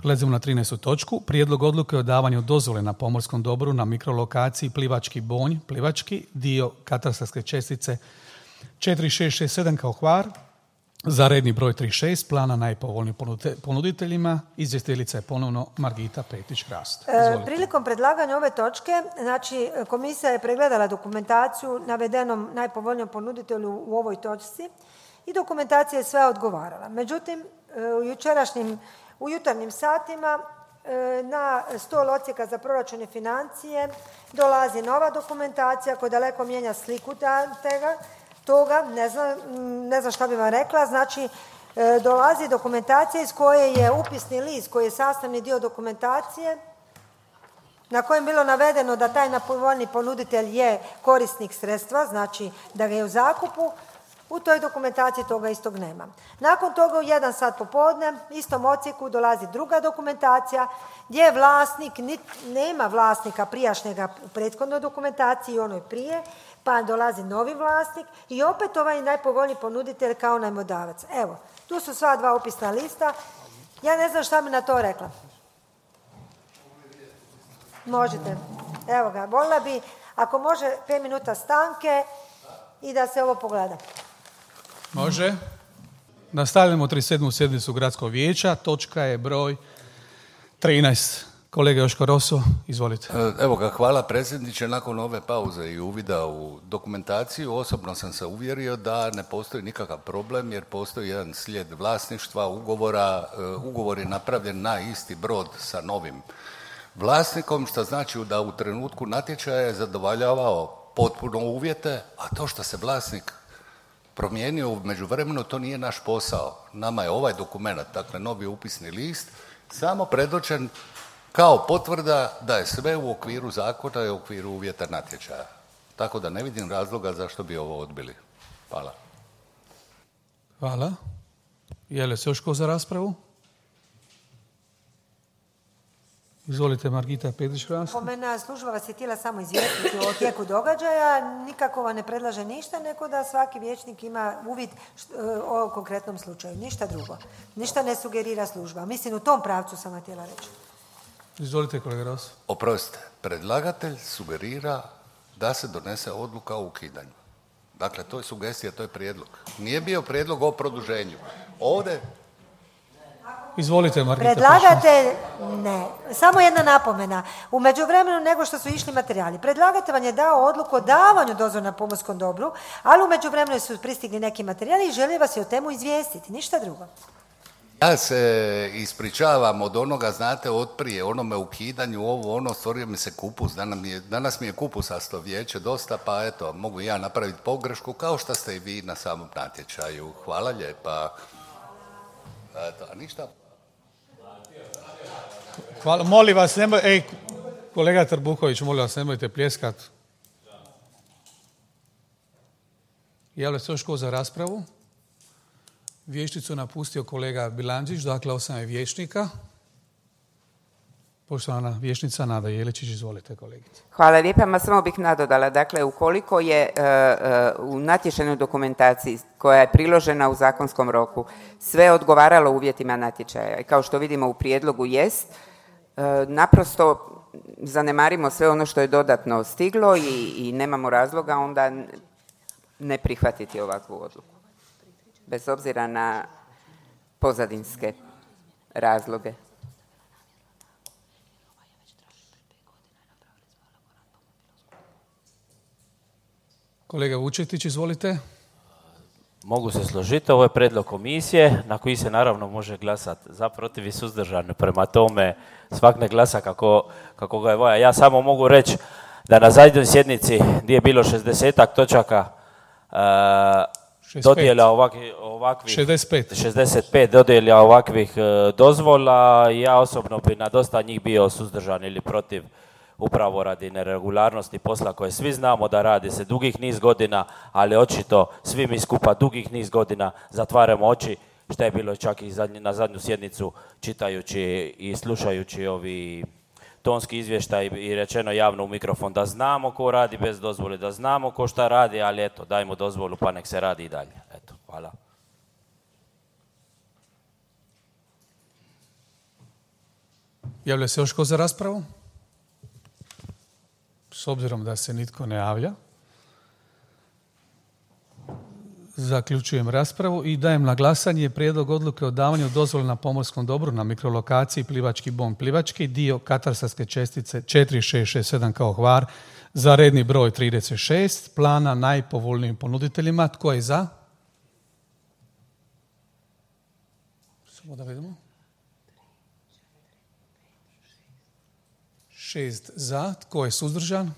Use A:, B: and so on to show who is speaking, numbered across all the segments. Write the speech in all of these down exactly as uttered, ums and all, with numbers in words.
A: Prelazimo na trinaestu točku. Prijedlog odluke o davanju dozvole na pomorskom dobru na mikrolokaciji Plivački Bonj, Plivački, dio katastarske čestice četiri šest šest sedam kao Hvar, za redni broj trideset šest, plana najpovoljnijim ponuditeljima. Izvjestiteljica je ponovno Margita Petić-Hrast.
B: E, prilikom predlaganja ove točke, znači komisija je pregledala dokumentaciju navedenom najpovoljnijom ponuditelju u ovoj točci i dokumentacija je sve odgovarala. Međutim, u jučerašnjim, u jutarnjim satima na stol odsjeka za proračun i financije dolazi nova dokumentacija koja daleko mijenja sliku tega, toga, ne znam, ne znam šta bi vam rekla, znači dolazi dokumentacija iz koje je upisni list koji je sastavni dio dokumentacije na kojem je bilo navedeno da taj najpovoljniji ponuditelj je korisnik sredstva, znači da ga je u zakupu. U toj dokumentaciji toga istog nema. Nakon toga u jedan sat popodne istom odsjeku dolazi druga dokumentacija gdje je vlasnik, nema vlasnika prijašnjega u prethodnoj dokumentaciji i onoj prije, pa dolazi novi vlasnik i opet ovaj najpovoljniji ponuditelj kao najmodavac. Evo, tu su sva dva upisna lista. Ja ne znam šta bi na to rekla. Možete. Evo ga, volila bi, ako može, pet minuta stanke i da se ovo pogleda.
A: Može. Nastavljamo trideset sedmu sjednicu Gradskog vijeća. Točka je broj trinaest. Kolega Joško Roso, izvolite.
C: Evo ga, hvala predsjedniče. Nakon ove pauze i uvida u dokumentaciju, osobno sam se uvjerio da ne postoji nikakav problem jer postoji jedan slijed vlasništva, ugovora. Ugovor je napravljen na isti brod sa novim vlasnikom, što znači da u trenutku natječaja je zadovoljavao potpuno uvjete, a to što se vlasnik promijenio u međuvremenu, to nije naš posao. Nama je ovaj dokument, dakle novi upisni list, samo predočen kao potvrda da je sve u okviru zakona i u okviru uvjeta natječaja. Tako da ne vidim razloga zašto bi ovo odbili. Hvala.
A: Hvala. Je li se još ko za raspravu? Izvolite, Margita Petić-Hrast.
B: Po mene služba vas je htjela samo izvijestiti o tijeku događaja, nikako vam ne predlaže ništa, nego da svaki vijećnik ima uvid o konkretnom slučaju. Ništa drugo. Ništa ne sugerira služba. Mislim, u tom pravcu sam vam htjela reći.
A: Izvolite, kolega Ros.
C: Oprostite, predlagatelj sugerira da se donese odluka o ukidanju. Dakle, to je sugestija, to je prijedlog. Nije bio prijedlog o produženju. Ovdje...
A: Izvolite, Margita.
B: Predlagatelj, ne. Samo jedna napomena. U međuvremenu nego što su išli materijali. Predlagatelj vam je dao odluku o davanju dozvole na pomorskom dobru, ali u međuvremenu su pristigli neki materijali i želi vas je o temu izvijestiti. Ništa drugo.
C: Ja se ispričavam od onoga, znate, od prije, onome ukidanju, ovo, ono, stvorio mi se kupus. Danas mi je, danas mi je kupusasto vijeće dosta, pa eto, mogu ja napraviti pogrešku, kao što ste i vi na samom natječaju. Hvala lijepa. Eto, a ništa...
A: Hvala, molim vas, nemoj, ej, kolega Trbuković, molim vas, nemojte pljeskat. Javlja se još ko za raspravu? Vijećnicu napustio kolega Bilandžić, dakle osam je vijećnika. Poštovana vijećnica Nada Jeličić, izvolite, kolegice.
D: Hvala lijepa, ma samo bih nadodala. Dakle, ukoliko je uh, uh, u natječajnoj dokumentaciji koja je priložena u zakonskom roku sve odgovaralo uvjetima natječaja i kao što vidimo u prijedlogu jest, uh, naprosto zanemarimo sve ono što je dodatno stiglo i, i nemamo razloga onda ne prihvatiti ovakvu odluku. Bez obzira na pozadinske razloge.
A: Kolega Vučetić, izvolite.
E: Mogu se složiti, ovo je prijedlog komisije na koji se naravno može glasati za, protiv i suzdržano. Prema tome svak ne glasa kako, kako ga je volja. Ja samo mogu reći da na zadnjoj sjednici gdje je bilo šezdesetak točaka uh, dodjela ovakvi, ovakvih
A: šezdeset pet.
E: šezdeset pet dodjela ovakvih uh, dozvola, ja osobno bi na dosta njih bio suzdržan ili protiv, upravo radi neregularnosti posla koje svi znamo da radi se dugih niz godina, ali očito svi mi skupa dugih niz godina zatvaramo oči, što je bilo čak i zadnji, na zadnju sjednicu čitajući i slušajući ovi tonski izvještaj i rečeno javno u mikrofon da znamo ko radi bez dozvole, da znamo ko šta radi, ali eto, dajmo dozvolu pa nek se radi i dalje. Eto, hvala.
A: Javlja se još ko za raspravu? S obzirom da se nitko ne javlja, zaključujem raspravu i dajem na glasanje prijedlog odluke o davanju dozvole na pomorskom dobru na mikrolokaciji Plivački Bon Plivački, dio katastarske čestice četiri šest šest sedam kao Hvar, za redni broj trideset šest, plana najpovoljnijim ponuditeljima. Tko je za? Samo da vidimo. Šest za. Tko je suzdržan?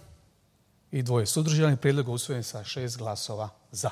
A: I dvoje suzdržani. Prijedlog je usvojen sa šest glasova za.